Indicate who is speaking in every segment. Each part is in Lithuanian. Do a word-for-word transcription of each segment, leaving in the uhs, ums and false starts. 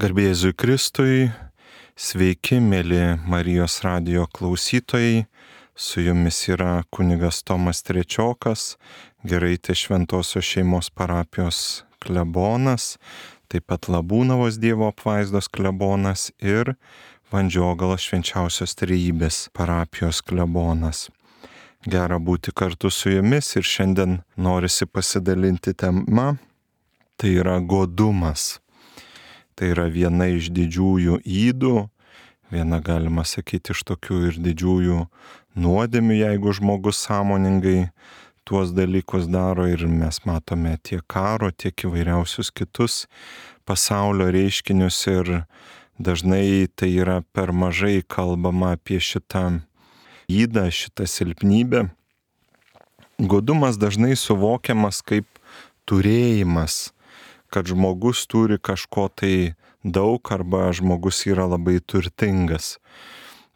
Speaker 1: Garbė Jėzui Kristui, sveiki, mėly Marijos radijo klausytojai, su jumis yra kunigas Tomas Trečiokas, Giraitės Šventosios šeimos parapijos klebonas, taip pat Labūnavos Dievo apvaizdos klebonas ir Vandžiogalos Švenčiausios Trejybės parapijos klebonas. Gera būti kartu su jumis ir šiandien norisi pasidalinti tema, tai yra godumas. Tai yra viena iš didžiųjų ydų, viena galima sakyti iš tokių ir didžiųjų nuodėmių, jeigu žmogus sąmoningai tuos dalykus daro, ir mes matome tiek karo, tiek įvairiausius kitus pasaulio reiškinius, ir dažnai tai yra per mažai kalbama apie šitą ydą, šitą silpnybę. Godumas dažnai suvokiamas kaip turėjimas, kad žmogus turi kažko tai daug arba žmogus yra labai turtingas.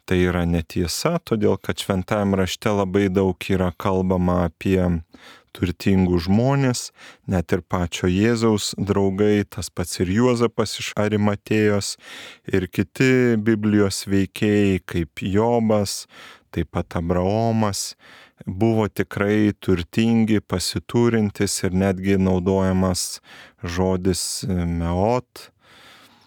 Speaker 1: Tai yra netiesa, todėl kad šventajame rašte labai daug yra kalbama apie turtingus žmonės, net ir pačio Jėzaus draugai, tas pats ir Juozapas iš Arimatėjos ir kiti Biblijos veikėjai kaip Jobas, taip pat Abraomas, buvo tikrai turtingi, pasiturintis, ir netgi naudojamas žodis meot,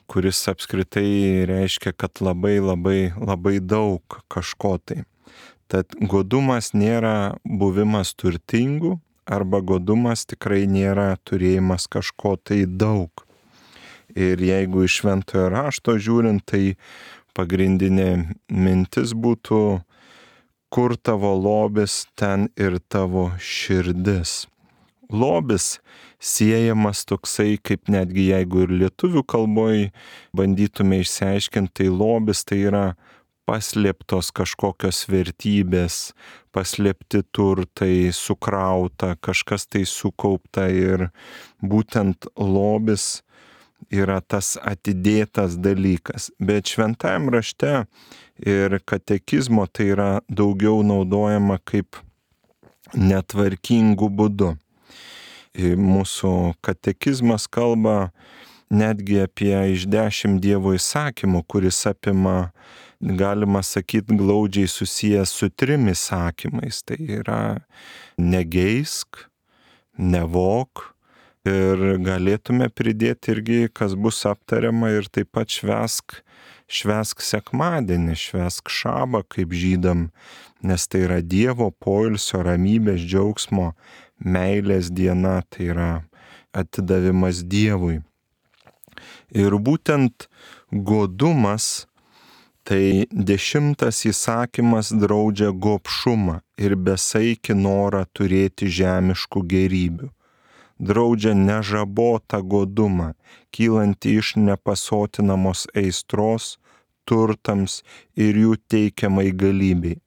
Speaker 1: kuris apskritai reiškia, kad labai labai labai daug kažko tai. Tad godumas nėra buvimas turtingu, arba godumas tikrai nėra turėjimas kažko tai daug. Ir jeigu iš šventojo rašto žiūrint, tai pagrindinė mintis būtų: kur tavo lobis, ten ir tavo širdis. Lobis siejamas toksai, kaip netgi jeigu ir lietuvių kalboj bandytume išsiaiškinti, tai lobis tai yra paslėptos kažkokios vertybės, paslėpti turtai, sukrauta, kažkas tai sukaupta, ir būtent lobis yra tas atidėtas dalykas. Bet šventajame rašte ir katekizmo tai yra daugiau naudojama kaip netvarkingų būdų. Mūsų katekizmas kalba netgi apie iš dešimt Dievo įsakymų, kuris apima, galima sakyti, glaudžiai susijęs su trim įsakymais. Tai yra negeisk, nevok, ir galėtume pridėti irgi, kas bus aptariama, ir taip pat švęsk, švęsk sekmadienį, švęsk šabą kaip žydam, nes tai yra Dievo poilsio, ramybės, džiaugsmo, meilės diena, tai yra atidavimas Dievui. Ir būtent godumas, tai dešimtas įsakymas draudžia gobšumą ir besaikį norą turėti žemiškų gėrybių. Draudžia nežabotą godumą, kylantį iš nepasotinamos aistros turtams ir jų teikiamai galybei.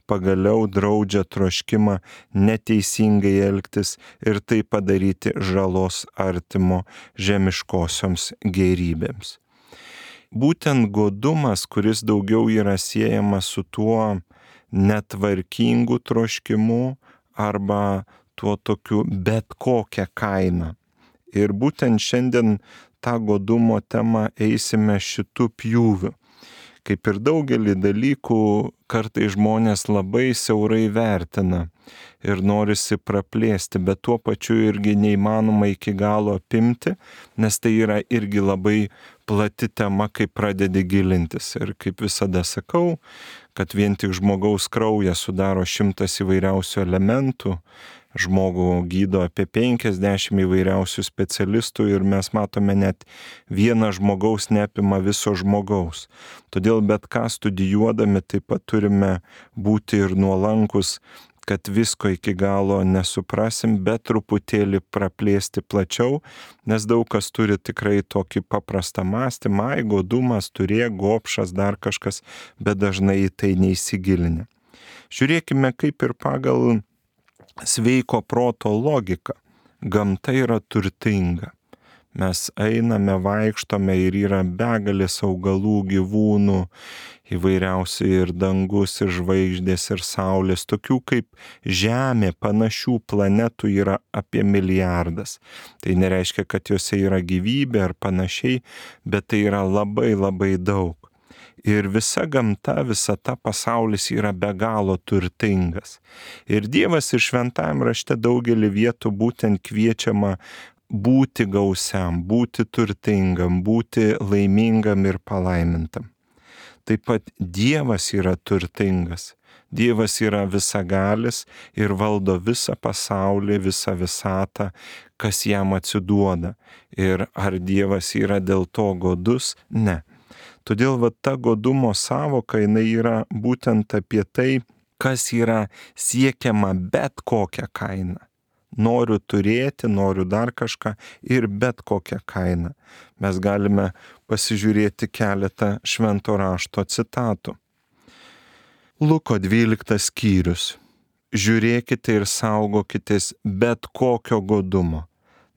Speaker 1: Pagaliau draudžia troškimą neteisingai elgtis ir tai padaryti žalos artimo žemiškosioms gėrybėms. Būtent godumas, kuris daugiau yra siejamas su tuo netvarkingu troškimu arba tuo tokiu bet kokia kaina. Ir būtent šiandien tą godumo temą eisime šitų pjūvių. Kaip ir daugelį dalykų, kartais žmonės labai siaurai vertina ir norisi praplėsti, bet tuo pačiu irgi neįmanoma iki galo apimti, nes tai yra irgi labai plati tema, kai pradedi gilintis. Ir kaip visada sakau, kad vien tik žmogaus kraujas sudaro šimtas įvairiausių elementų, žmogų gydo apie penkiasdešimt įvairiausių specialistų, ir mes matome, net viena žmogaus neapima viso žmogaus. Todėl bet ką studijuodami taip pat turime būti ir nuolankus, kad visko iki galo nesuprasim, bet truputėlį praplėsti plačiau, nes daug kas turi tikrai tokį paprastą mąstymą, ai, godumas, turėk, gobšas, dar kažkas, bet dažnai į tai neįsigilinę. Žiūrėkime, kaip ir pagal sveiko proto logika. Gamta yra turtinga. Mes einame, vaikštome ir yra begalės augalų, gyvūnų, įvairiausių ir dangus, ir žvaigždės, ir saulės, tokių kaip Žemė, panašių planetų yra apie milijardas. Tai nereiškia, kad juose yra gyvybė ar panašiai, bet tai yra labai labai daug. Ir visa gamta, visa ta pasaulis yra be galo turtingas. Ir Dievas ir šventajame rašte daugelį vietų būtent kviečiama būti gausiam, būti turtingam, būti laimingam ir palaimintam. Taip pat Dievas yra turtingas. Dievas yra visagalis ir valdo visą pasaulį, visą visatą, kas jam atsiduoda. Ir ar Dievas yra dėl to godus? Ne. Todėl va ta godumo sąvoka, jinai yra būtent apie tai, kas yra siekiama bet kokią kainą. Noriu turėti, noriu dar kažką ir bet kokią kainą. Mes galime pasižiūrėti keletą švento rašto citatų. Luko dvyliktas skyrius. Žiūrėkite ir saugokitės bet kokio godumo,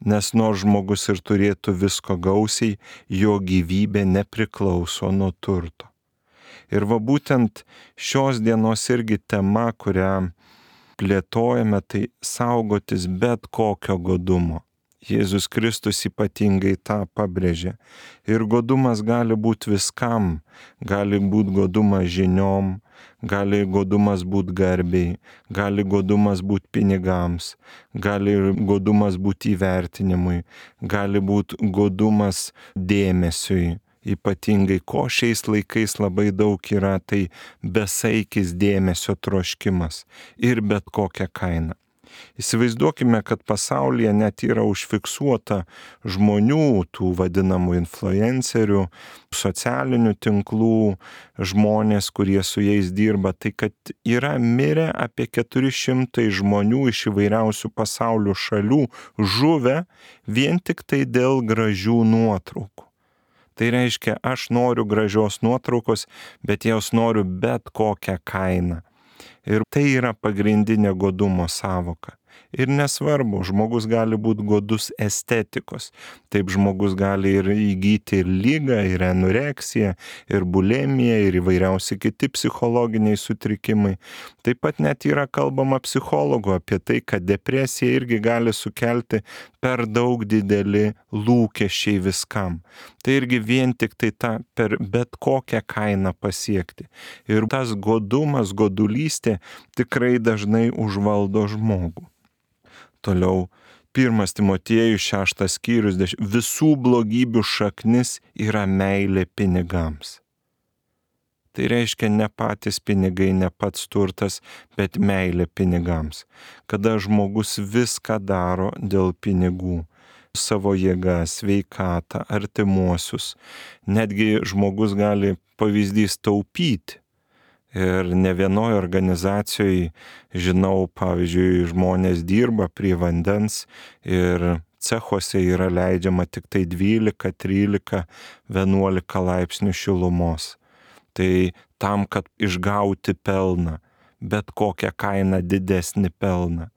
Speaker 1: nes nors žmogus ir turėtų visko gausiai, jo gyvybė nepriklauso nuo turto. Ir va būtent šios dienos irgi tema, kurią plėtojame, tai saugotis bet kokio godumo. Jėzus Kristus ypatingai tą pabrėžė. Ir godumas gali būti viskam. Gali būti godumas žiniom, gali godumas būti garbiai, gali godumas būti pinigams, gali godumas būti įvertinimui, gali būti godumas dėmesiui. Ypatingai, ko šiais laikais labai daug yra, tai besaikis dėmesio troškimas ir bet kokią kainą. Įsivaizduokime, kad pasaulyje net yra užfiksuota žmonių, tų vadinamų influencerių, socialinių tinklų, žmonės, kurie su jais dirba, tai kad yra mirę apie keturi šimtai žmonių iš įvairiausių pasaulio šalių, žuvę vien tik tai dėl gražių nuotraukų. Tai reiškia, aš noriu gražios nuotraukos, bet jos noriu bet kokią kainą. Ir tai yra pagrindinė godumo sąvoka. Ir nesvarbu, žmogus gali būti godus estetikos. Taip žmogus gali ir įgyti ir lygą, ir anoreksiją, ir bulimiją, ir įvairiausi kiti psichologiniai sutrikimai. Taip pat net yra kalbama psichologų apie tai, kad depresija irgi gali sukelti per daug dideli lūkesčiai viskam. Tai irgi vien tik tai tą per bet kokią kainą pasiekti. Ir tas godumas, godulystė tikrai dažnai užvaldo žmogų. Toliau, pirmas Timotiejus šeštas skyrius, visų blogybių šaknis yra meilė pinigams. Tai reiškia ne patys pinigai, ne pats turtas, bet meilė pinigams. Kada žmogus viską daro dėl pinigų, savo jėgą, sveikatą, artimuosius, netgi žmogus gali pavyzdys taupyti. Ir ne vienoje organizacijoje, žinau, pavyzdžiui, žmonės dirba prie vandens ir cechuose yra leidžiama tik tai dvylika, trylika, vienuolika laipsnių šilumos. Tai tam, kad išgauti pelną, bet kokią kainą didesnį pelną.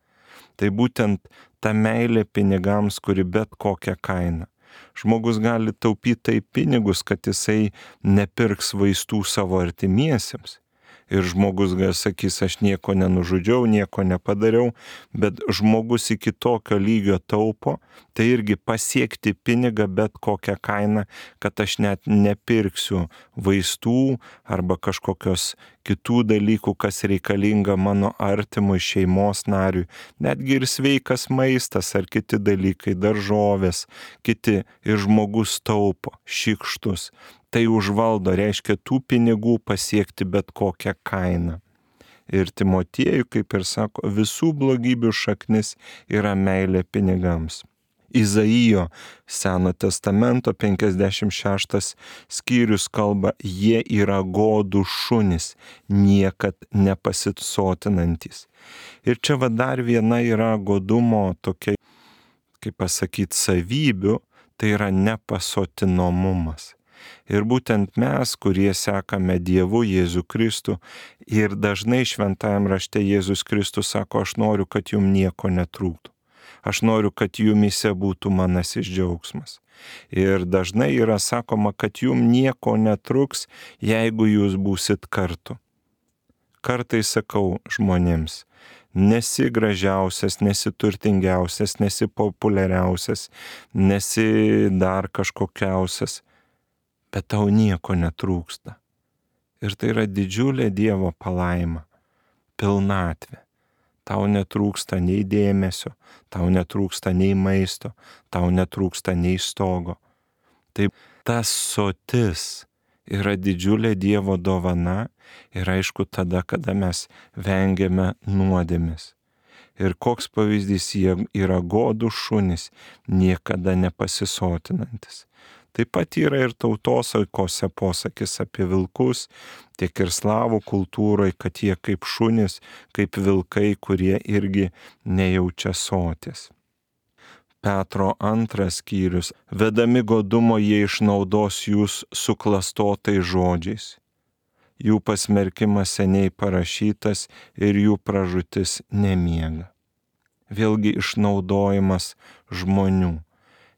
Speaker 1: Tai būtent ta meilė pinigams, kuri bet kokią kainą. Žmogus gali taupyti taip pinigus, kad jisai nepirks vaistų savo artimiesiems. Ir žmogus gal sakys, aš nieko nenužudžiau, nieko nepadariau, bet žmogus iki tokio lygio taupo, tai irgi pasiekti pinigą bet kokią kainą, kad aš net nepirksiu vaistų arba kažkokios kitų dalykų, kas reikalinga mano artimui šeimos nariui. Netgi ir sveikas maistas ar kiti dalykai, daržovės, kiti ir žmogus taupo, šykštus. Tai užvaldo, reiškia tų pinigų pasiekti bet kokią kainą. Ir Timotiejui, kaip ir sako, visų blogybių šaknis yra meilė pinigams. Izaijo Seno testamento penkiasdešimt šeštas skyrius kalba, jie yra godų šunys, niekad nepasisotinantys. Ir čia va dar viena yra godumo tokia, kaip pasakyti, savybių, tai yra nepasotinomumas. Ir būtent mes, kurie sekame Dievu Jėzų Kristų, ir dažnai šventajame rašte Jėzus Kristus sako, aš noriu, kad jums nieko netrūktų. Aš noriu, kad jumise būtų manasis džiaugsmas. Ir dažnai yra sakoma, kad jum nieko netruks, jeigu jūs būsit kartu. Kartais sakau žmonėms, nesi gražiausias, nesi turtingiausias, nesi populiariausias, nesi dar kažkokiausias, bet tau nieko netrūksta. Ir tai yra didžiulė Dievo palaima, pilnatvė. Tau netrūksta nei dėmesio, tau netrūksta nei maisto, tau netrūksta nei stogo. Taip, tas sotis yra didžiulė Dievo dovana ir aišku tada, kada mes vengiame nuodėmės. Ir koks pavyzdys, jie yra godų šunys, niekada nepasisotinantis. Taip pat yra ir tautosaikose posakis apie vilkus, tiek ir slavų kultūroje, kad jie kaip šunys, kaip vilkai, kurie irgi nejaučia soties. Petro antras skyrius. Vedami godumo jie išnaudos jūs suklastotais žodžiais. Jų pasmerkimas seniai parašytas ir jų pražūtis nemiega. Vėlgi išnaudojimas žmonių.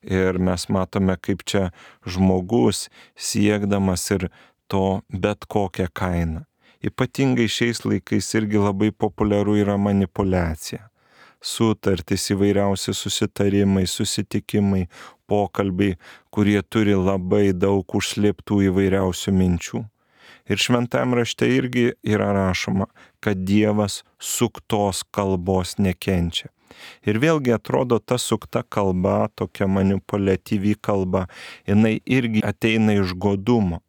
Speaker 1: Ir mes matome, kaip čia žmogus siekdamas ir to bet kokią kainą. Ypatingai šiais laikais irgi labai populiaru yra manipuliacija. Sutartys, įvairiausi susitarimai, susitikimai, pokalbiai, kurie turi labai daug užslėptų įvairiausių minčių. Ir šventam rašte irgi yra rašoma, kad Dievas suktos kalbos nekenčia. Ir vėlgi atrodo ta sukta kalba, tokia manipuliatyvi kalba, jinai irgi ateina iš godumo.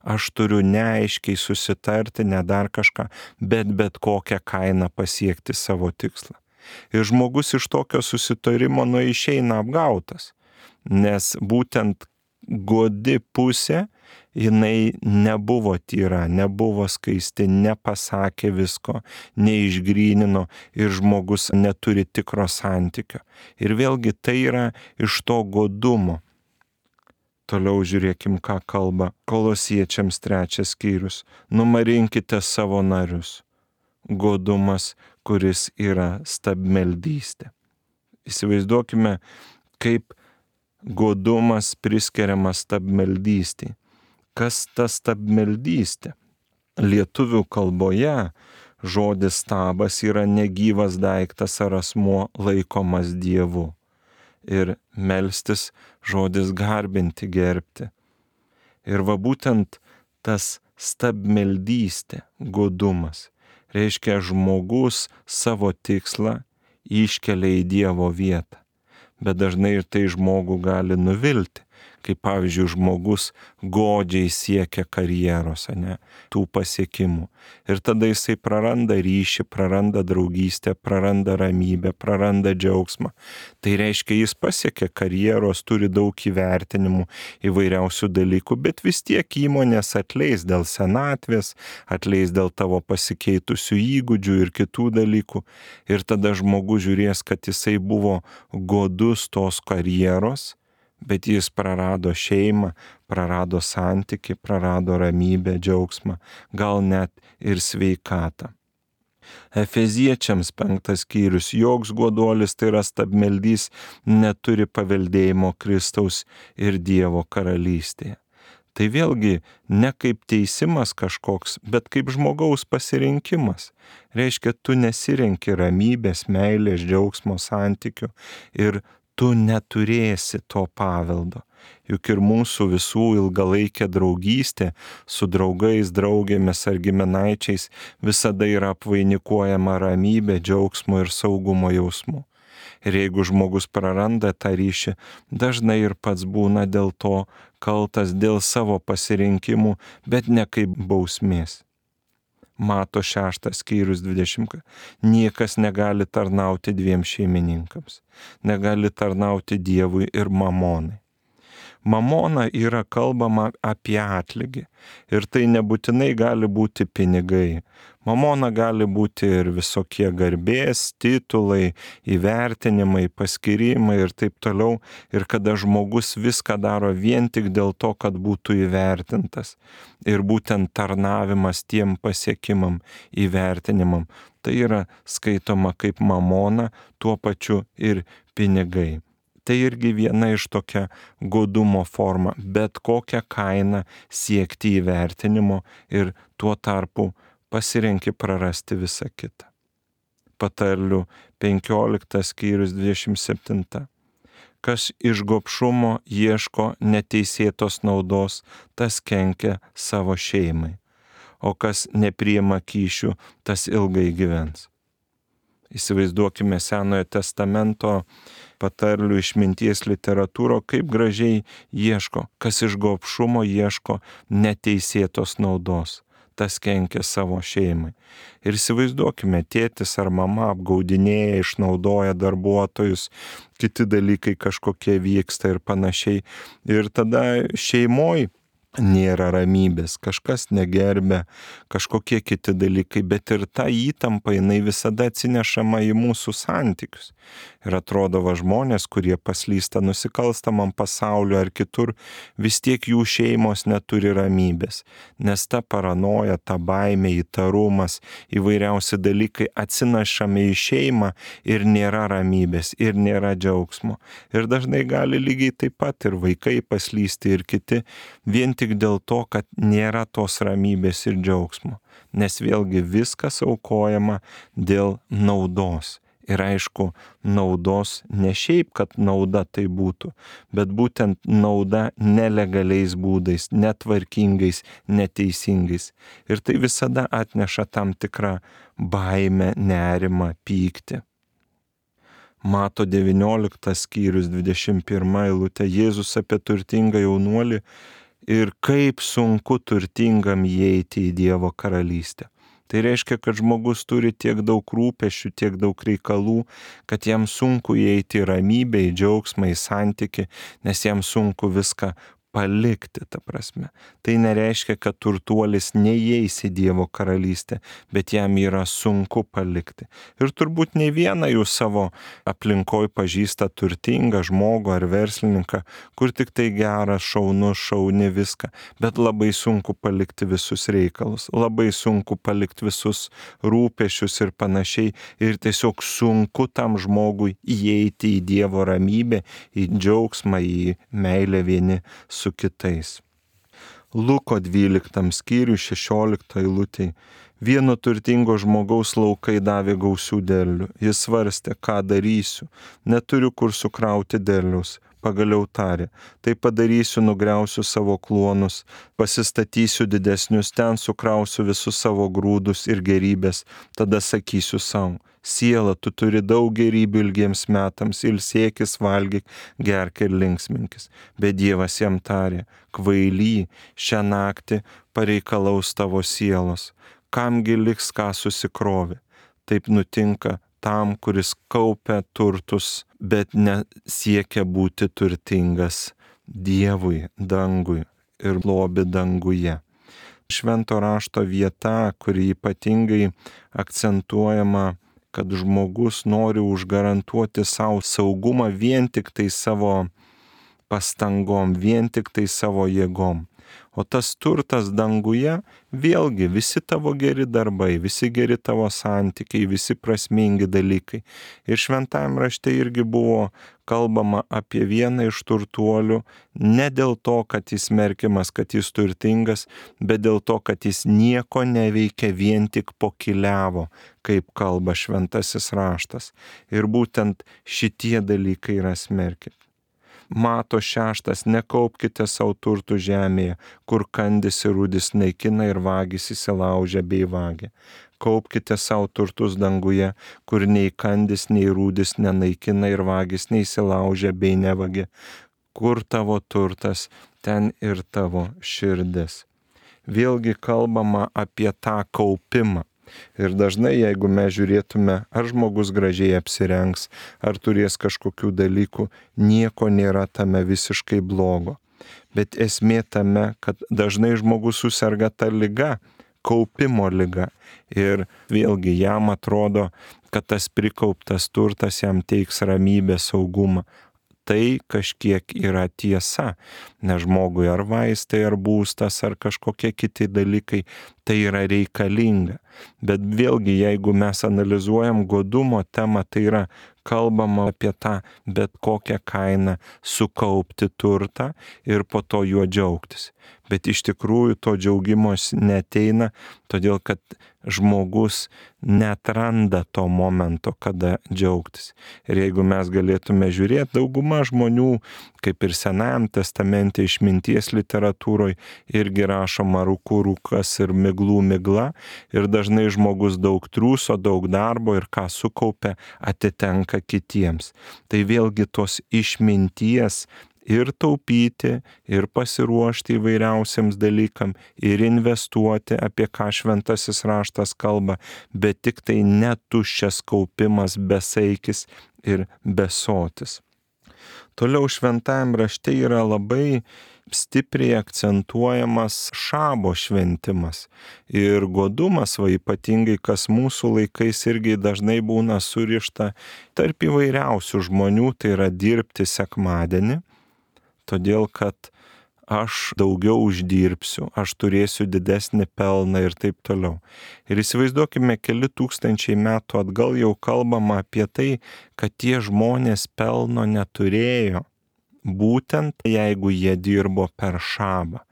Speaker 1: Aš turiu neaiškiai susitarti, ne dar kažką, bet bet kokią kainą pasiekti savo tikslą. Ir žmogus iš tokio susitarimo nu išeina apgautas, nes būtent godi pusė, jinai nebuvo tyra, nebuvo skaisti, nepasakė visko, neišgrynino ir žmogus neturi tikro santykio. Ir vėlgi tai yra iš to godumo. Toliau žiūrėkim, ką kalba Kolosiečiams trečias skyrius. Numarinkite savo narius. Godumas, kuris yra stabmeldystė. Įsivaizduokime, kaip godumas priskiriamas stabmeldystei. Kas ta stabmeldystė? Lietuvių kalboje žodis stabas yra negyvas daiktas ar asmuo laikomas Dievu. Ir melstis žodis garbinti, gerbti. Ir va būtent tas stabmeldystė, godumas, reiškia žmogus savo tikslą iškelia į Dievo vietą. Bet dažnai ir tai žmogų gali nuvilti. Kaip pavyzdžiui, žmogus godžiai siekia karjeros, ne, tų pasiekimų. Ir tada jisai praranda ryšį, praranda draugystę, praranda ramybę, praranda džiaugsmą. Tai reiškia, jis pasiekia karjeros, turi daug įvertinimų, įvairiausių dalykų, bet vis tiek įmonės atleis dėl senatvės, atleis dėl tavo pasikeitusių įgūdžių ir kitų dalykų. Ir tada žmogus žiūrės, kad jisai buvo godus tos karjeros, bet jis prarado šeimą, prarado santykį, prarado ramybę, džiaugsmą, gal net ir sveikatą. Efeziečiams penktas skyrius. Joks goduolis, tai yra stabmeldys, neturi paveldėjimo Kristaus ir Dievo karalystėje. Tai vėlgi ne kaip teisimas kažkoks, bet kaip žmogaus pasirinkimas. Reiškia, tu nesirenki ramybės, meilės, džiaugsmo, santykių ir tu neturėsi to paveldo. Juk ir mūsų visų ilgalaikė draugystė su draugais, draugėmis ar giminaičiais visada yra apvainikuojama ramybė, džiaugsmo ir saugumo jausmu. Ir jeigu žmogus praranda tą ryšį, dažnai ir pats būna dėl to kaltas dėl savo pasirinkimų, bet ne kaip bausmės. Mato šeštas skyrius dvidešimt. Niekas negali tarnauti dviem šeimininkams. Negali tarnauti Dievui ir mamonai. Mamona yra kalbama apie atlygį. Ir tai nebūtinai gali būti pinigai. Mamona gali būti ir visokie garbės, titulai, įvertinimai, paskyrimai ir taip toliau. Ir kada žmogus viską daro vien tik dėl to, kad būtų įvertintas. Ir būtent tarnavimas tiem pasiekimam, įvertinimam. Tai yra skaitoma kaip mamona, tuo pačiu ir pinigai. Tai irgi viena iš tokia godumo forma, bet kokią kainą siekti įvertinimo ir tuo tarpu pasirenki prarasti visą kitą. Patarlių penkioliktas skyrius dvidešimt septinta. Kas iš gobšumo ieško neteisėtos naudos, tas kenkia savo šeimai, o kas nepriima kyšių, tas ilgai gyvens. Įsivaizduokime Senojo testamento patarlių išminties literatūro, kaip gražiai ieško, kas iš gobšumo ieško neteisėtos naudos, tas kenkia savo šeimai. Ir įsivaizduokime, tėtis ar mama apgaudinėja, išnaudoja darbuotojus, kiti dalykai kažkokie vyksta ir panašiai. Ir tada šeimoj nėra ramybės, kažkas negerbia, kažkokie kiti dalykai, bet ir ta įtampa, jinai visada atsinešama į mūsų santykius. Ir atrodo, va žmonės, kurie paslysta nusikalstamam pasauliu ar kitur, vis tiek jų šeimos neturi ramybės, nes ta paranoja, ta baimė, įtarumas, įvairiausi dalykai atsinešami į šeimą ir nėra ramybės, ir nėra džiaugsmo. Ir dažnai gali lygiai taip pat ir vaikai paslysti ir kiti, vien tik dėl to, kad nėra tos ramybės ir džiaugsmo, nes vėlgi viskas aukojama dėl naudos. Ir aišku, naudos ne šiaip, kad nauda tai būtų, bet būtent nauda nelegaliais būdais, netvarkingais, neteisingais. Ir tai visada atneša tam tikrą baimę, nerimą, pyktį. Mato devynioliktas skyrius dvidešimt pirma eilutė, Jėzus apie turtingą jaunuolį ir kaip sunku turtingam įeiti į Dievo karalystę. Tai reiškia, kad žmogus turi tiek daug rūpesčių, tiek daug reikalų, kad jam sunku įeiti į ramybę, į džiaugsmą, į santykį, nes jam sunku viską palikti, ta prasme. Tai nereiškia, kad turtuolis neįeis į Dievo karalystę, bet jam yra sunku palikti. Ir turbūt ne vieną jūs savo aplinkoj pažįsta turtingą žmogų ar verslininką, kur tik tai geras, šaunus, šauni viską, bet labai sunku palikti visus reikalus, labai sunku palikti visus rūpesčius ir panašiai, ir tiesiog sunku tam žmogui įeiti į Dievo ramybę, į džiaugsmą, į meilę vieni su kitais. Luko dvyliktam skyriui šešioliktą eilutėj. Vieno turtingo žmogaus laukai davė gausių derlių. Jis svarstė, ką darysiu. Neturiu kur sukrauti derliaus. Pagaliau tarė, tai padarysiu, nugriausiu savo kluonus, pasistatysiu didesnius, ten sukrausiu visus savo grūdus ir gerybės, tada sakysiu savo, siela, tu turi daug gerybių ilgiems metams, ilsėkis, valgyk, gerk ir linksminkis. Bet Dievas jam tarė, kvaily, šią naktį pareikalaus tavo sielos, kamgi liks ką susikrovi. Taip nutinka tam, kuris kaupia turtus, bet nesiekia būti turtingas Dievui, dangui ir lobi danguje. Švento rašto vieta, kuri ypatingai akcentuojama, kad žmogus nori užgarantuoti savo saugumą vien tik tai savo pastangom, vien tik tai savo jėgom. O tas turtas danguje, vėlgi visi tavo geri darbai, visi geri tavo santykiai, visi prasmingi dalykai. Ir šventajam rašte irgi buvo kalbama apie vieną iš turtuolių, ne dėl to, kad jis merkiamas, kad jis turtingas, bet dėl to, kad jis nieko neveikia, vien tik pokyliavo, kaip kalba šventasis raštas. Ir būtent šitie dalykai yra smerkiami. Mato šeštas, nekaupkite savo turtų žemėje, kur kandis ir rūdis naikina ir vagis įsilaužia bei vagia. Kaupkite savo turtus danguje, kur nei kandis, nei rūdis nenaikina ir vagis neįsilaužia bei nevagia. Kur tavo turtas, ten ir tavo širdis. Vėlgi kalbama apie tą kaupimą. Ir dažnai, jeigu mes žiūrėtume, ar žmogus gražiai apsirengs, ar turės kažkokių dalykų, nieko nėra tame visiškai blogo. Bet esmė tame, kad dažnai žmogus suserga tą ligą, kaupimo ligą. Ir vėlgi jam atrodo, kad tas prikauptas turtas jam teiks ramybę, saugumą. Tai kažkiek yra tiesa, nes žmogui ar vaistai, ar būstas, ar kažkokie kiti dalykai, tai yra reikalinga. Bet vėlgi, jeigu mes analizuojam godumo temą, tai yra kalbama apie tą bet kokią kainą sukaupti turtą ir po to juo džiaugtis. Bet iš tikrųjų to džiaugimos neteina, todėl kad žmogus neatranda to momento, kada džiaugtis. Ir jeigu mes galėtume žiūrėti, dauguma žmonių, kaip ir Senajam testamente išminties literatūroje, irgi rašoma rūkų rūkas ir miglų migla, ir dažnai žmogus daug triūso, daug darbo ir ką sukaupia, atitenka kitiems. Tai vėlgi tos išminties ir taupyti, ir pasiruošti įvairiausiams dalykam, ir investuoti, apie ką šventasis raštas kalba, bet tik tai netuščias kaupimas, besaikis ir besotis. Toliau šventajam rašte yra labai stipriai akcentuojamas šabo šventimas. Ir godumas, va ypatingai kas mūsų laikais irgi dažnai būna surišta tarp įvairiausių žmonių, tai yra dirbti sekmadienį, todėl kad aš daugiau uždirbsiu, aš turėsiu didesnį pelną ir taip toliau. Ir įsivaizduokime, keli tūkstančiai metų atgal jau kalbama apie tai, kad tie žmonės pelno neturėjo, būtent jeigu jie dirbo per šabą.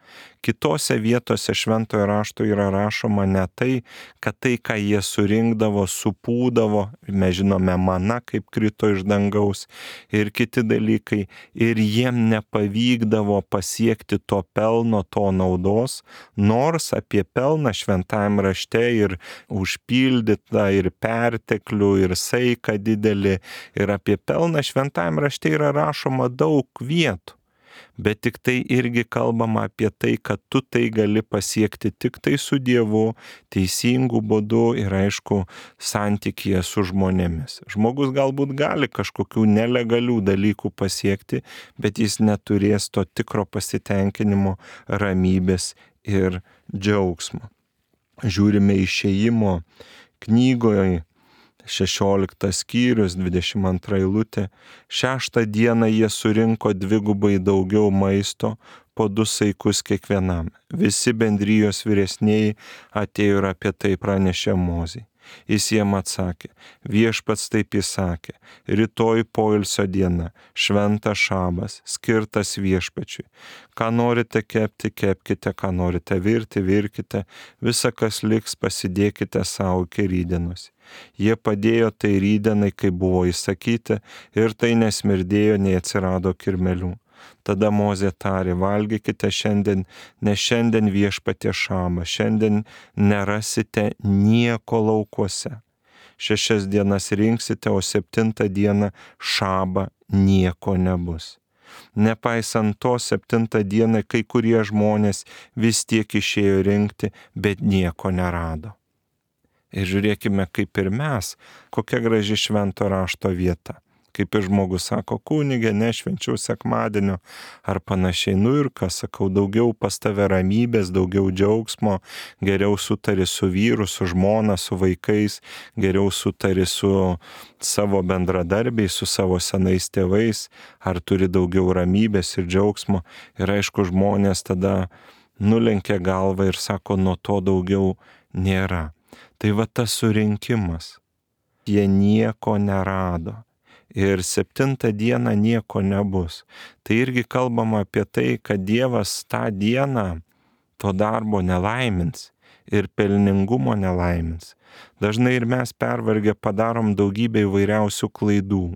Speaker 1: Kitose vietose šventojo rašto yra rašoma ne tai, kad tai, ką jie surinkdavo, supūdavo, mes žinome mana, kaip krito iš dangaus ir kiti dalykai, ir jiem nepavykdavo pasiekti to pelno, to naudos, nors apie pelną šventajam rašte ir užpildytą, ir perteklių, ir saiką didelį, ir apie pelną šventajam rašte yra rašoma daug vietų. Bet tik tai irgi kalbama apie tai, kad tu tai gali pasiekti tik tai su Dievu, teisingų būdų ir aišku santykyje su žmonėmis. Žmogus galbūt gali kažkokių nelegalių dalykų pasiekti, bet jis neturės to tikro pasitenkinimo, ramybės ir džiaugsmo. Žiūrime Išėjimo knygoje, šešioliktas skyrius, dvidešimt antra eilutė. Šeštą dieną jie surinko dvigubai daugiau maisto, po du saikus kiekvienam. Visi bendrijos vyresnieji atėjo ir apie tai pranešė Mozei. Jis jiem atsakė, viešpats taip įsakė, rytoj poilsio diena, šventas šabas, skirtas viešpačiui. Ką norite kepti, kepkite, ką norite virti, virkite, visa kas liks pasidėkite savo iki rytdienos. Jie padėjo tai rytdienai, kai buvo įsakyti, ir tai nesmirdėjo, nei atsirado kirmelių. Tada Mozė tarė, valgykite šiandien, nes šiandien viešpaties šabas, šiandien nerasite nieko laukuose. Šešias dienas rinksite, o septintą dieną šabą nieko nebus. Nepaisant to, septintą dieną kai kurie žmonės vis tiek išėjo rinkti, bet nieko nerado. Ir žiūrėkime, kaip ir mes, kokia graži švento rašto vieta. Kaip ir žmogus sako, kunige, nešvenčiau sekmadienio ar panašiai. Nu ir ką sakau, daugiau pas tave ramybės, daugiau džiaugsmo, geriau sutari su vyru, su žmona, su vaikais, geriau sutari su savo bendradarbiais, su savo senais tėvais, ar turi daugiau ramybės ir džiaugsmo. Ir aišku, žmonės tada nulenkia galvą ir sako, nuo to daugiau nėra. Tai va tas surinkimas. Jie nieko nerado. Ir septintą dieną nieko nebus. Tai irgi kalbama apie tai, kad Dievas tą dieną to darbo nelaimins ir pelningumo nelaimins. Dažnai ir mes pervargę padarom daugybę įvairiausių klaidų.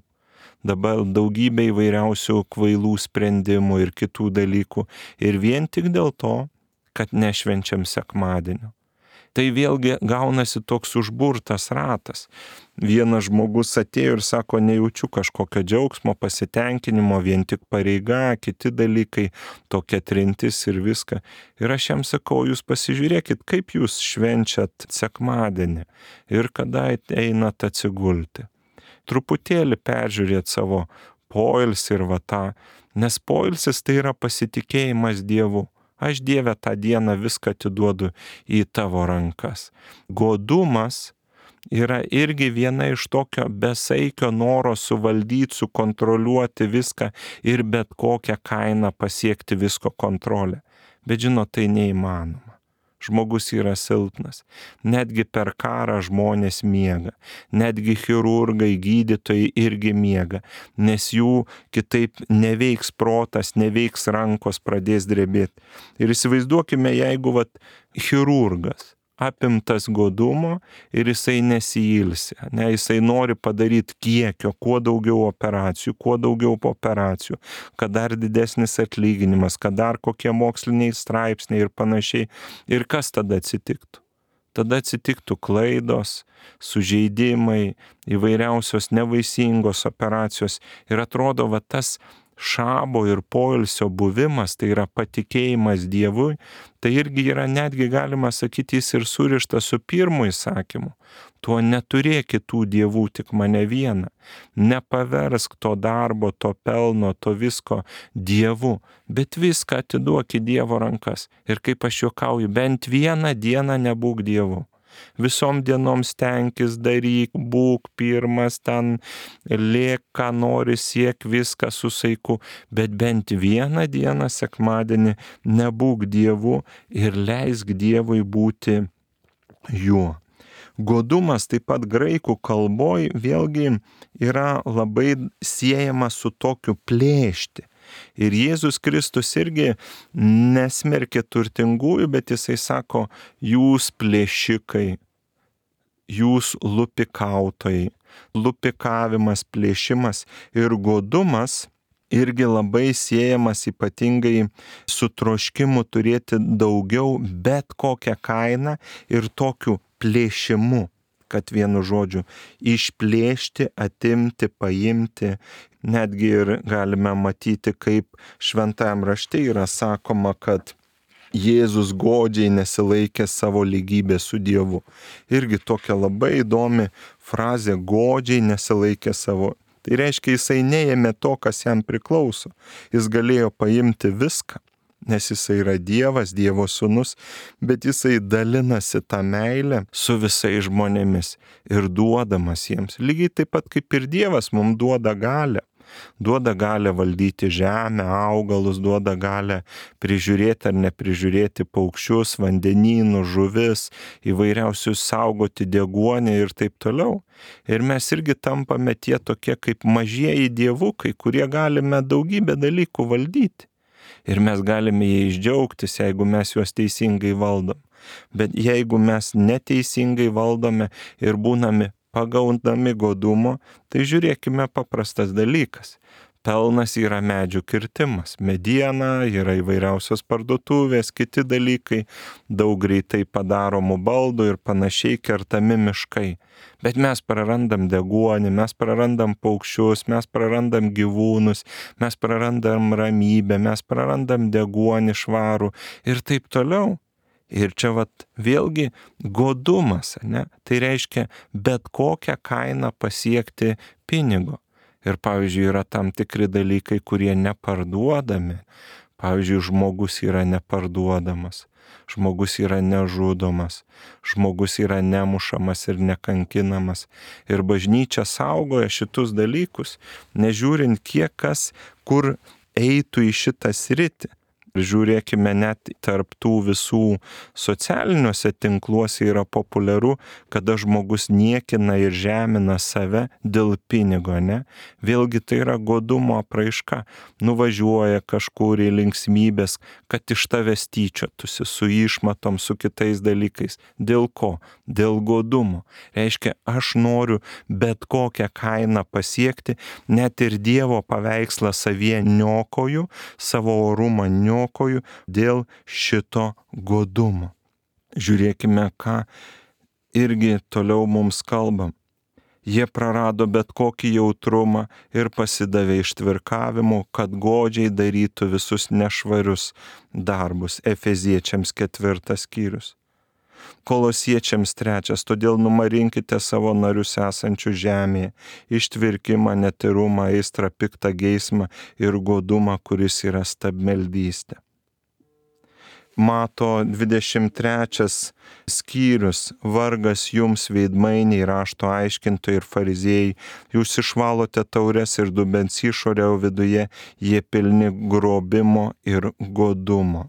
Speaker 1: Dabar daugybę įvairiausių kvailų sprendimų ir kitų dalykų. Ir vien tik dėl to, kad nešvenčiam sekmadienio. Tai vėlgi gaunasi toks užburtas ratas. Vienas žmogus atėjo ir sako, nejaučiu kažkokio džiaugsmo, pasitenkinimo, vien tik pareiga, kiti dalykai, tokia trintis ir viską. Ir aš jam sakau, jūs pasižiūrėkit, kaip jūs švenčiat sekmadienį ir kada einat atsigulti. Truputėlį peržiūrėt savo poilsį ir va tą, nes poilsis tai yra pasitikėjimas Dievu. Aš Dieve tą dieną viską atiduodu į tavo rankas. Godumas yra irgi viena iš tokio besaikio noro suvaldyti, sukontroliuoti viską ir bet kokią kainą pasiekti visko kontrolę. Bet žinot, tai neįmanoma. žmogus yra silpnas. Netgi per karą žmonės miega. Netgi chirurgai, gydytojai irgi miega, nes jų kitaip neveiks protas, neveiks rankos, pradės drebėti. Ir įsivaizduokime, jeigu vat chirurgas apimtas godumo ir jisai nesiilsi, ne, jisai nori padaryti kiekio, kuo daugiau operacijų, kuo daugiau operacijų, kad dar didesnis atlyginimas, kad dar kokie moksliniai straipsniai ir panašiai. Ir kas tada atsitiktų? Tada atsitiktų klaidos, sužeidimai, įvairiausios nevaisingos operacijos. Ir atrodo, va tas šabo ir poilsio buvimas, tai yra patikėjimas Dievui, tai irgi yra, netgi galima sakyti, jis ir surištas su pirmu įsakymu. Tuo neturėk kitų dievų, tik mane vieną. Nepaversk to darbo, to pelno, to visko dievu, bet viską atiduok į Dievo rankas. Ir kaip aš juokauju, bent vieną dieną nebūk dievu. Visom dienom stenkis, daryk, būk pirmas, ten lėk, ką nori, siek viską su saiku, bet bent vieną dieną sekmadienį nebūk dievu ir leisk Dievui būti juo. Godumas taip pat graikų kalboj vėlgi yra labai siejamas su tokiu plėšti. Ir Jėzus Kristus irgi nesmerkė turtingųjų, bet jisai sako, jūs plėšikai, jūs lupikautojai, lupikavimas, plėšimas ir godumas irgi labai siejamas ypatingai su troškimu turėti daugiau bet kokią kainą ir tokiu plėšimu, kad vienu žodžiu išplėšti, atimti, paimti. Netgi ir galime matyti, kaip šventajam rašte yra sakoma, kad Jėzus godžiai nesilaikė savo lygybės su Dievu. Irgi tokia labai įdomi frazė, godžiai nesilaikė savo. Tai reiškia, jisai neėmė to, kas jam priklauso. Jis galėjo paimti viską, nes jisai yra Dievas, Dievo sūnus, bet jisai dalinasi tą meilę su visais žmonėmis ir duodamas jiems. Lygiai taip pat kaip ir Dievas mums duoda galią. Duoda galę valdyti žemę, augalus, duoda galę prižiūrėti ar neprižiūrėti paukščius, vandenynus, žuvis, įvairiausius saugoti deguonį ir taip toliau. Ir mes irgi tampame tie tokie kaip mažieji dievukai, kurie galime daugybę dalykų valdyti. Ir mes galime jais džiaugtis, jeigu mes juos teisingai valdom. Bet jeigu mes neteisingai valdome ir būname pagaundami godumo, tai žiūrėkime paprastas dalykas. Pelnas yra medžių kirtimas, mediena, yra įvairiausios parduotuvės, kiti dalykai, daug greitai padaromų baldų ir panašiai, kertami miškai. Bet mes prarandam deguonį, mes prarandam paukščius, mes prarandam gyvūnus, mes prarandam ramybę, mes prarandam deguonį švarų ir taip toliau. Ir čia vat vėlgi godumas, ne? Tai reiškia bet kokią kainą pasiekti pinigo. Ir pavyzdžiui, yra tam tikri dalykai, kurie neparduodami. Pavyzdžiui, žmogus yra neparduodamas, žmogus yra nežudomas, žmogus yra nemušamas ir nekankinamas. Ir bažnyčia saugoja šitus dalykus, nežiūrint kiek kas, kur eitų į šitą sritį. Žiūrėkime, net tarp tų visų socialiniuose tinkluose yra populiaru, kada žmogus niekina ir žemina save dėl pinigo, ne? Vėlgi tai yra godumo apraiška. Nuvažiuoja kažkur į linksmybės, kad iš tavęs tyčiotųsi su išmatom, su kitais dalykais. Dėl ko? Dėl godumo. Reiškia, aš noriu bet kokią kainą pasiekti, net ir Dievo paveikslą savyje niokoju, savo orumą niokoju, dėl šito godumo. Žiūrėkime, ką irgi toliau mums kalbam. Jie prarado bet kokį jautrumą ir pasidavė ištvirkavimu, kad godžiai darytų visus nešvarius darbus. Efeziečiams ketvirtas skyrius. Kolosiečiams trečias, todėl numarinkite savo narius esančių žemėje, ištvirkimą, netyrumą, aistrą, piktą geismą ir godumą, kuris yra stabmeldystė. Mato dvidešimt trečias skyrius, vargas jums veidmainiai, rašto aiškintojai ir fariziejai, jūs išvalote taures ir dubens išorę, o viduje jie pilni grobimo ir godumo.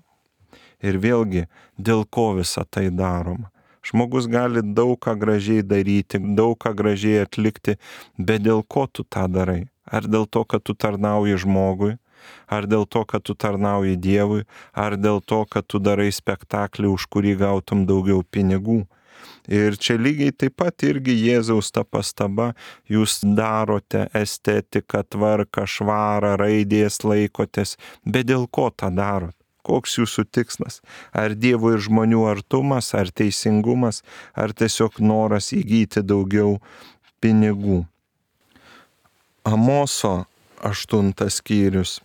Speaker 1: Ir vėlgi, dėl ko visa tai daroma? Žmogus gali daug ką gražiai daryti, daug ką gražiai atlikti, bet dėl ko tu tą darai? Ar dėl to, kad tu tarnauji žmogui? Ar dėl to, kad tu tarnauji Dievui? Ar dėl to, kad tu darai spektaklį, už kurį gautum daugiau pinigų? Ir čia lygiai taip pat irgi Jėzaus ta pastaba, jūs darote estetiką, tvarką, švarą, raidės laikotės, bet dėl ko tą darot? Koks jūsų tikslas? Ar Dievo ir žmonių artumas, ar teisingumas, ar tiesiog noras įgyti daugiau pinigų? Amoso aštuntas skyrius.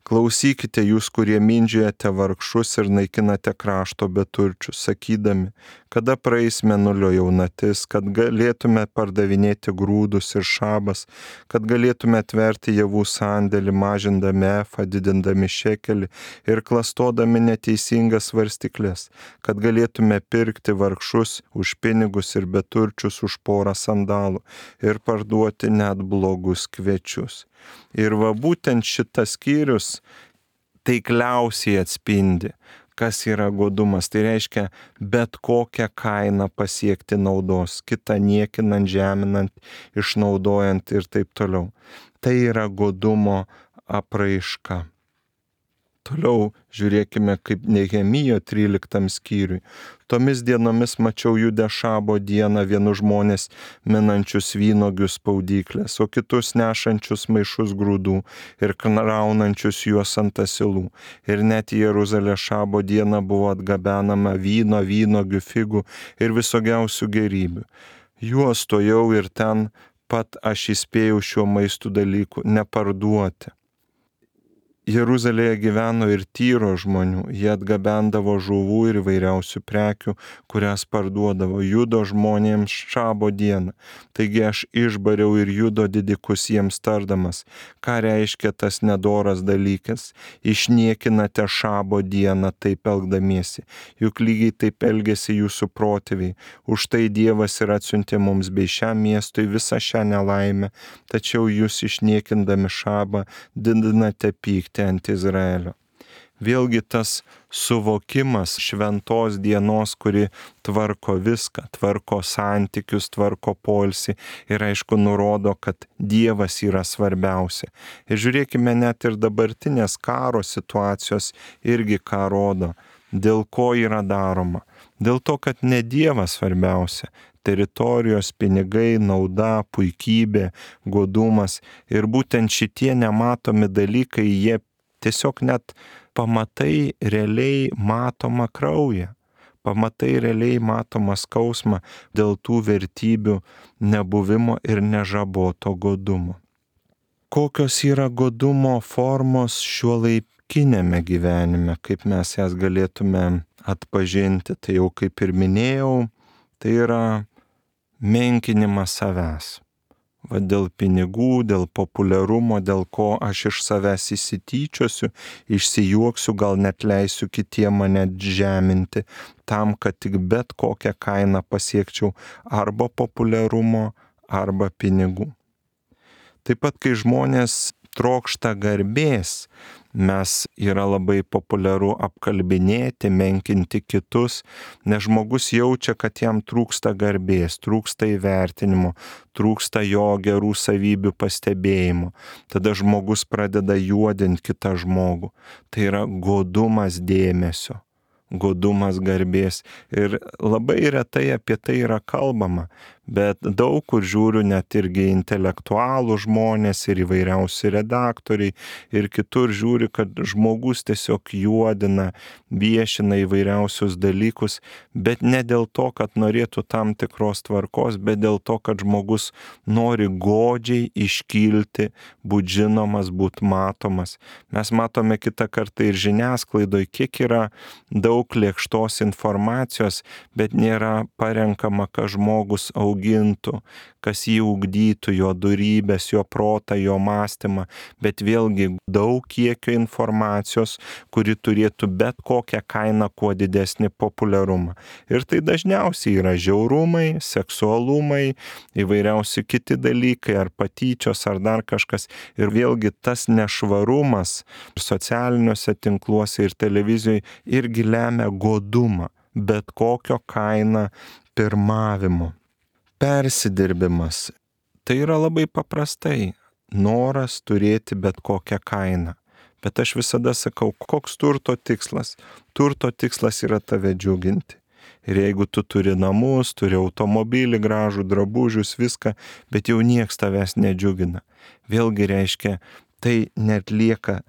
Speaker 1: Klausykite jūs, kurie mindžiojate vargšus ir naikinate krašto beturčius, sakydami, kada praeis mėnulio jaunatis, kad galėtume pardavinėti grūdus ir šabas, kad galėtume atverti javų sandėlį, mažindami efą, didindami šekelį ir klastodami neteisingas svarstyklės, kad galėtume pirkti vargšus už pinigus ir beturčius už porą sandalų ir parduoti net blogus kviečius. Ir va būtent šitas skyrius taikliausiai atspindi, kas yra godumas. Tai reiškia bet kokią kainą pasiekti naudos, kitą niekinant, žeminant, išnaudojant ir taip toliau. Tai yra godumo apraiška. Toliau žiūrėkime, kaip Nehemijo tryliktam skyriui. Tomis dienomis mačiau Jude šabo dieną vienus žmonės minančius vynuogių spaudyklės, o kitus nešančius maišus grūdų ir kraunančius juos ant asilų. Ir net į Jeruzalę šabo dieną buvo atgabenama vyno, vynuogių, figų ir visokiausių gėrybių. Juos stojau ir ten pat aš įspėjau šiuo maistu dalykų neparduoti. Jeruzalėje gyveno ir Tyro žmonių, jie atgabendavo žuvų ir įvairiausių prekių, kurias parduodavo Judo žmonėms šabo dieną. Taigi aš išbariau ir Judo didikus jiems tardamas, ką reiškia tas nedoras dalykas, išniekinate šabo dieną taip elgdamiesi, juk lygiai taip elgėsi jūsų protėviai, už tai Dievas ir atsiuntė mums bei šiam miestui visą šią nelaimę, tačiau jūs išniekindami šabą didinate pyktį ant Izraelio. Vėlgi tas suvokimas šventos dienos, kuri tvarko viską, tvarko santykius, tvarko poilsį ir aišku nurodo, kad Dievas yra svarbiausia. Ir žiūrėkime, net ir dabartinės karo situacijos irgi ką rodo, dėl ko yra daroma. Dėl to, kad ne Dievas svarbiausia. Teritorijos, pinigai, nauda, puikybė, godumas ir būtent šitie nematomi dalykai, jie tiesiog net pamatai realiai matomą kraują, pamatai realiai matomą skausmą dėl tų vertybių nebuvimo ir nežaboto godumo. Kokios yra godumo formos šiuolaikiniame gyvenime, kaip mes jas galėtume atpažinti, tai jau kaip ir minėjau, tai yra menkinimas savęs. Va dėl pinigų, dėl populiarumo, dėl ko aš iš savęs įsityčiosiu, išsijuoksiu, gal net leisiu kitiem mane žeminti, tam, kad tik bet kokią kainą pasiekčiau arba populiarumo, arba pinigų. Taip pat, kai žmonės trokšta garbės, mes yra labai populiaru apkalbinėti, menkinti kitus, nes žmogus jaučia, kad jam trūksta garbės, trūksta įvertinimo, trūksta jo gerų savybių pastebėjimo. Tada žmogus pradeda juodinti kitą žmogų. Tai yra godumas dėmesio, godumas garbės. Ir labai retai apie tai yra kalbama, bet daug kur žiūriu net irgi intelektualų žmonės ir įvairiausi redaktoriai ir kitur žiūri, kad žmogus tiesiog juodina, viešina įvairiausius dalykus, bet ne dėl to, kad norėtų tam tikros tvarkos, bet dėl to, kad žmogus nori godžiai iškilti, būt žinomas, būt matomas. Mes matome kitą kartą ir žiniasklaidoje, kiek yra daug daug lėkštos informacijos, bet nėra parenkama, ką žmogus augintų, kas jį ugdytų, jo dorybes, jo protą, jo mąstymą, bet vėlgi daug kiekio informacijos, kuri turėtų bet kokią kainą kuo didesnį populiarumą. Ir tai dažniausiai yra žiaurumai, seksualumai, įvairiausi kiti dalykai, ar patyčios, ar dar kažkas. Ir vėlgi tas nešvarumas socialiniuose tinkluose ir televizijoje irgi lemia godumą, bet kokio kaina pirmavimo. Persidirbimas. Tai yra labai paprastai. Noras turėti bet kokią kainą. Bet aš visada sakau, koks turto tikslas? Turto tikslas yra tave džiuginti. Ir jeigu tu turi namus, turi automobilį, gražų, drabužius, viską, bet jau nieks tavęs nedžiugina. Vėlgi reiškia, tai netlieka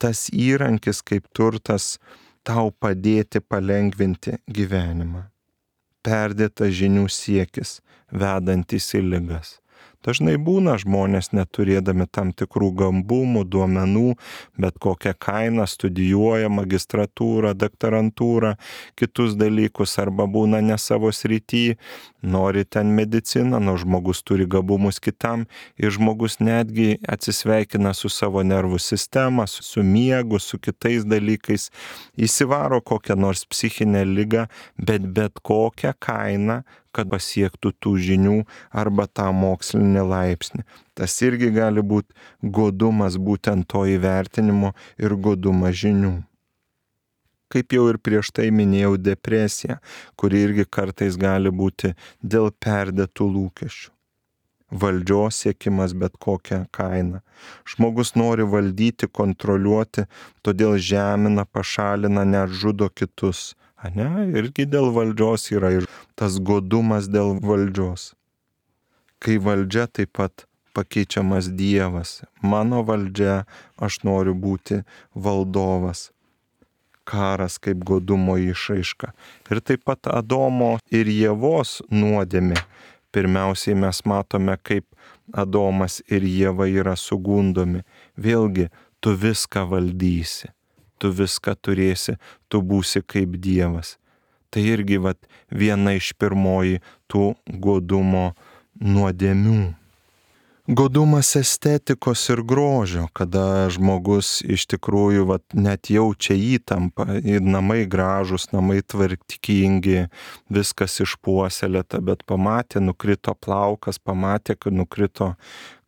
Speaker 1: tas įrankis kaip turtas tau padėti palengvinti gyvenimą. Perdėtas žinių siekis, vedantis į ligas. Dažnai būna žmonės neturėdami tam tikrų gabumų, duomenų, bet kokią kainą studijuoja magistratūrą, daktarantūrą, kitus dalykus, arba būna ne savo srity, nori ten mediciną, nors žmogus turi gabumus kitam ir žmogus netgi atsisveikina su savo nervų sistema, su miegu, su kitais dalykais, įsivaro kokią nors psichinę ligą, bet bet kokią kainą, kad pasiektų tų žinių arba tą mokslinį laipsnį. Tas irgi gali būti godumas būtent to įvertinimo ir godumas žinių. Kaip jau ir prieš tai minėjau, depresija, kuri irgi kartais gali būti dėl perdėtų lūkesčių. Valdžios siekimas bet kokią kainą. Žmogus nori valdyti, kontroliuoti, todėl žemina, pašalina, net žudo kitus. Ane? Irgi dėl valdžios yra ir tas godumas dėl valdžios. Kai valdžia taip pat pakeičiamas Dievas. Mano valdžia, aš noriu būti valdovas. Karas kaip godumo išraiška. Ir taip pat Adomo ir Ievos nuodėmė. Pirmiausiai mes matome, kaip Adomas ir Ieva yra sugundomi. Vėlgi, tu viską valdysi. Tu viską turėsi, tu būsi kaip Dievas. Tai irgi vat, viena iš pirmoji tų godumo nuodėmių. Godumas estetikos ir grožio, kada žmogus iš tikrųjų vat, net jaučia įtampą, namai gražus, namai tvarkingi, viskas išpuoselėta, bet pamatė, nukrito plaukas, pamatė, kad nukrito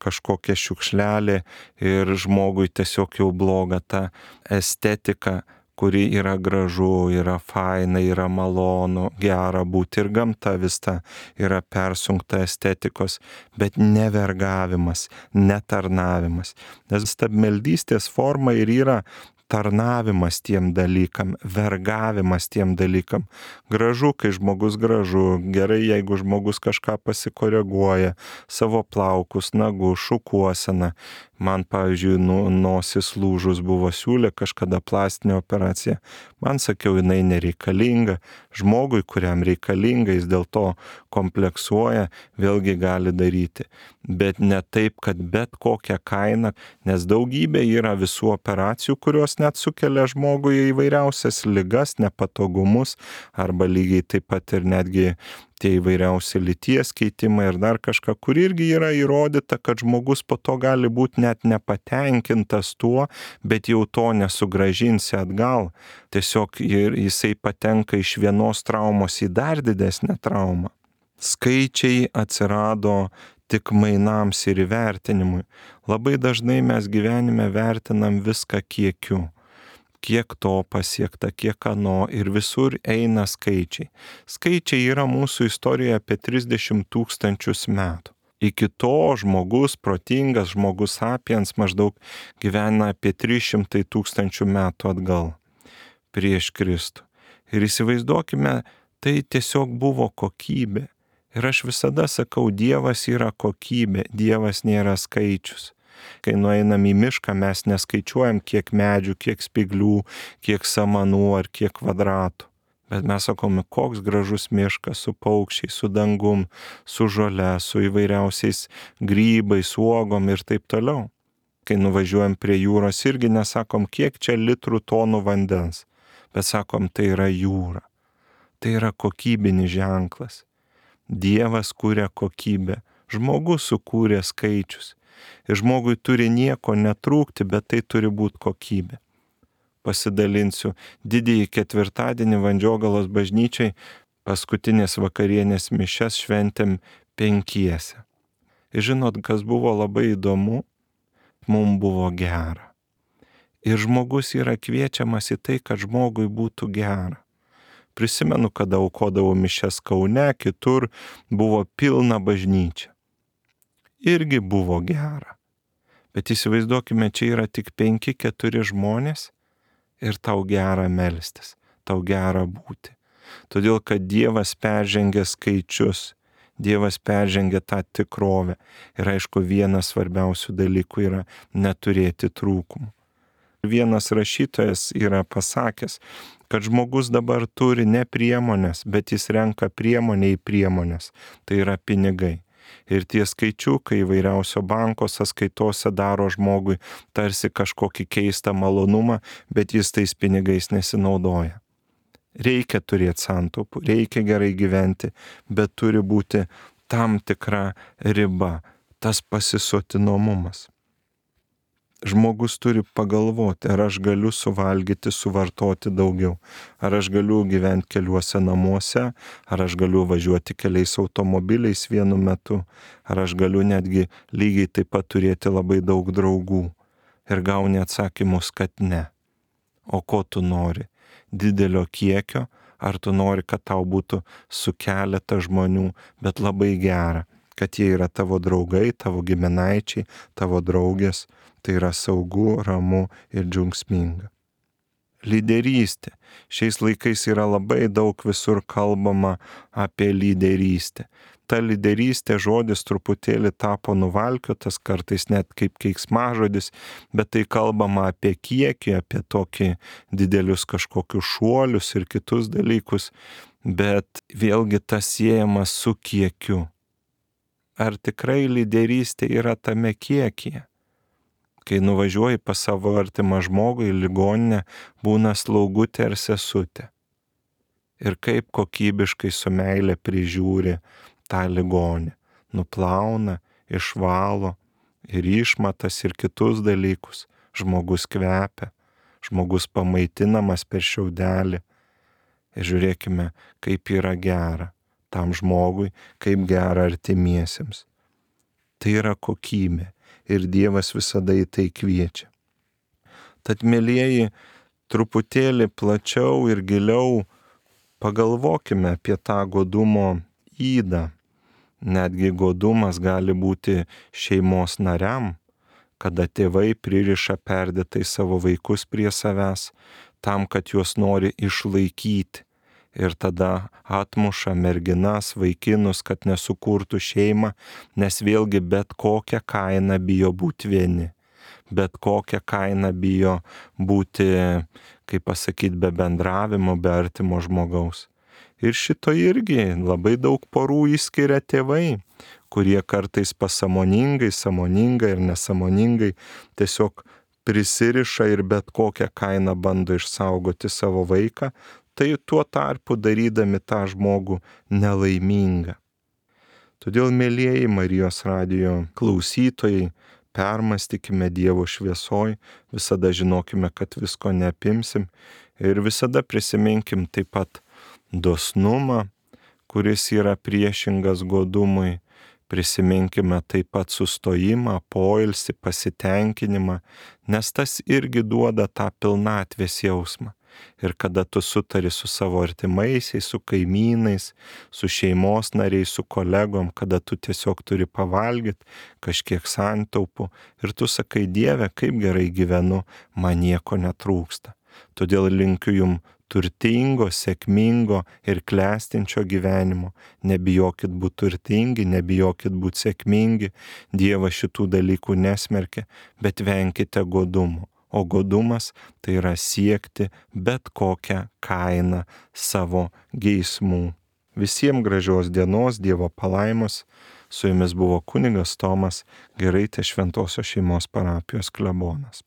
Speaker 1: kažkokia šiukšlelė ir žmogui tiesiog jau bloga ta estetika, kuri yra gražu, yra faina, yra malonu, gera būti ir gamta vis ta yra persunkta estetikos, bet ne vergavimas, ne tarnavimas. Nes stabmeldystės forma ir yra tarnavimas tiem dalykam, vergavimas tiem dalykam. Gražu, kai žmogus gražu, gerai, jeigu žmogus kažką pasikoreguoja, savo plaukus, nagus, šukuoseną. Man, pavyzdžiui, nu, nosis lūžus buvo, siūlė kažkada plastinę operaciją. Man sakiau, jinai nereikalinga. Žmogui, kuriam reikalinga, jis dėl to kompleksuoja, vėlgi gali daryti. Bet ne taip, kad bet kokią kainą, nes daugybė yra visų operacijų, kurios net sukelia žmogui įvairiausias ligas, nepatogumus, arba lygiai taip pat ir netgi tie įvairiausi lyties keitimai ir dar kažką, kur irgi yra įrodyta, kad žmogus po to gali būti net nepatenkintas tuo, bet jau to nesugrąžinsi atgal. Tiesiog jisai patenka iš vienos traumos į dar didesnę traumą. Skaičiai atsirado tik mainams ir įvertinimui. Labai dažnai mes gyvenime vertinam viską kiekiu. Kiek to pasiekta, kiek ano ir visur eina skaičiai. Skaičiai yra mūsų istorijoje apie trisdešimt tūkstančius metų. Iki to žmogus, protingas žmogus sapiens maždaug gyvena apie trys šimtai tūkstančių metų atgal prieš Kristų. Ir įsivaizduokime, tai tiesiog buvo kokybė. Ir aš visada sakau, Dievas yra kokybė, Dievas nėra skaičius. Kai nueinam į mišką, mes neskaičiuojam, kiek medžių, kiek spiglių, kiek samanų ar kiek kvadratų. Bet mes sakome, koks gražus miškas su paukščiais, su dangum, su žole, su įvairiausiais grybais, uogom ir taip toliau. Kai nuvažiuojam prie jūros, irgi nesakom, kiek čia litrų tonų vandens. bet sakom, tai yra jūra. Tai yra kokybinis ženklas. Dievas kūrė kokybę, žmogus sukūrė skaičius. Ir žmogui turi nieko netrūkti, bet tai turi būti kokybė. Pasidalinsiu, didįjį ketvirtadienį Vandžiogalos bažnyčiai paskutinės vakarienės mišias šventėm penkiese. Ir žinot, kas buvo labai įdomu, mums buvo gera. Ir žmogus yra kviečiamas į tai, kad žmogui būtų gera. Prisimenu, kada aukodavau mišias Kaune, kitur buvo pilna bažnyčia. Irgi buvo gera. Bet įsivaizduokime, čia yra tik penki, keturi žmonės ir tau gera melstis, tau gera būti. Todėl, kad Dievas peržengia skaičius, Dievas peržengia tą tikrovę. Ir aišku, vienas svarbiausių dalykų yra neturėti trūkumų. Vienas rašytojas yra pasakęs, kad žmogus dabar turi ne priemonės, bet jis renka priemonę į priemonės. Tai yra pinigai. Ir tie skaičiukai įvairiausio banko sąskaitose daro žmogui tarsi kažkokį keistą malonumą, bet jis tais pinigais nesinaudoja. Reikia turėti santaupų, reikia gerai gyventi, bet turi būti tam tikra riba, tas pasisotinomumas. Žmogus turi pagalvoti, ar aš galiu suvalgyti, suvartoti daugiau, ar aš galiu gyventi keliuose namuose, ar aš galiu važiuoti keliais automobiliais vienu metu, ar aš galiu netgi lygiai taip pat turėti labai daug draugų. Ir gauni atsakymus, kad ne. O ko tu nori? Didelio kiekio, ar tu nori, kad tau būtų su keletą žmonių, bet labai gera, kad jie yra tavo draugai, tavo giminaičiai, tavo draugės. Tai yra saugu, ramu ir džiaugsminga. Lyderystė. Šiais laikais yra labai daug visur kalbama apie lyderystę. Ta lyderystė žodis truputėlį tapo nuvalkiotas, kartais net kaip keiksmažodis, bet tai kalbama apie kiekį, apie tokį didelius kažkokius šuolius ir kitus dalykus, bet vėlgi tas siejamas su kiekiu. Ar tikrai lyderystė yra tame kiekyje? Kai nuvažiuoji pas savo artimą žmogų į ligoninę, būna slaugutė ar sesutė. Ir kaip kokybiškai su meile prižiūri tą ligonį. Nuplauna, išvalo ir išmatas ir kitus dalykus. Žmogus kvepia, žmogus pamaitinamas per šiaudelį. Ir žiūrėkime, kaip yra gera tam žmogui, kaip gera artimiesiems. Tai yra kokybė. Ir Dievas visada į tai kviečia. Tad, mielieji, truputėlį plačiau ir giliau pagalvokime apie tą godumo ydą. Netgi godumas gali būti šeimos nariam, kada tėvai pririša perdėtai savo vaikus prie savęs, tam, kad juos nori išlaikyti. Ir tada atmuša merginas, vaikinus, kad nesukurtų šeimą, nes vėlgi bet kokią kainą bijo būti vieni. Bet kokią kainą bijo būti, kaip pasakyti, be bendravimo, be artimo žmogaus. Ir šito irgi labai daug porų išskiria tėvai, kurie kartais pasąmoningai, sąmoningai ir nesąmoningai tiesiog prisiriša ir bet kokią kainą bando išsaugoti savo vaiką, tai tuo tarpu darydami tą žmogų nelaimingą. Todėl, mielieji Marijos radijo klausytojai, permastykime Dievo šviesoj, visada žinokime, kad visko neapimsim ir visada prisiminkim taip pat dosnumą, kuris yra priešingas godumui, prisiminkime taip pat sustojimą, poilsį, pasitenkinimą, nes tas irgi duoda tą pilnatvės jausmą. Ir kada tu sutari su savo artimaisiais, su kaimynais, su šeimos nariais, su kolegom, kada tu tiesiog turi pavalgyti kažkiek santaupų ir tu sakai, Dieve, kaip gerai gyvenu, man nieko netrūksta. Todėl linkiu jum turtingo, sėkmingo ir klestinčio gyvenimo. Nebijokit būti turtingi, nebijokit būti sėkmingi, Dievas šitų dalykų nesmerkia, bet venkite godumo. O godumas tai yra siekti bet kokią kainą savo geismų. Visiems gražios dienos, Dievo palaimos. Su jumis buvo kunigas Tomas Giraitės Šventosios šeimos parapijos klebonas.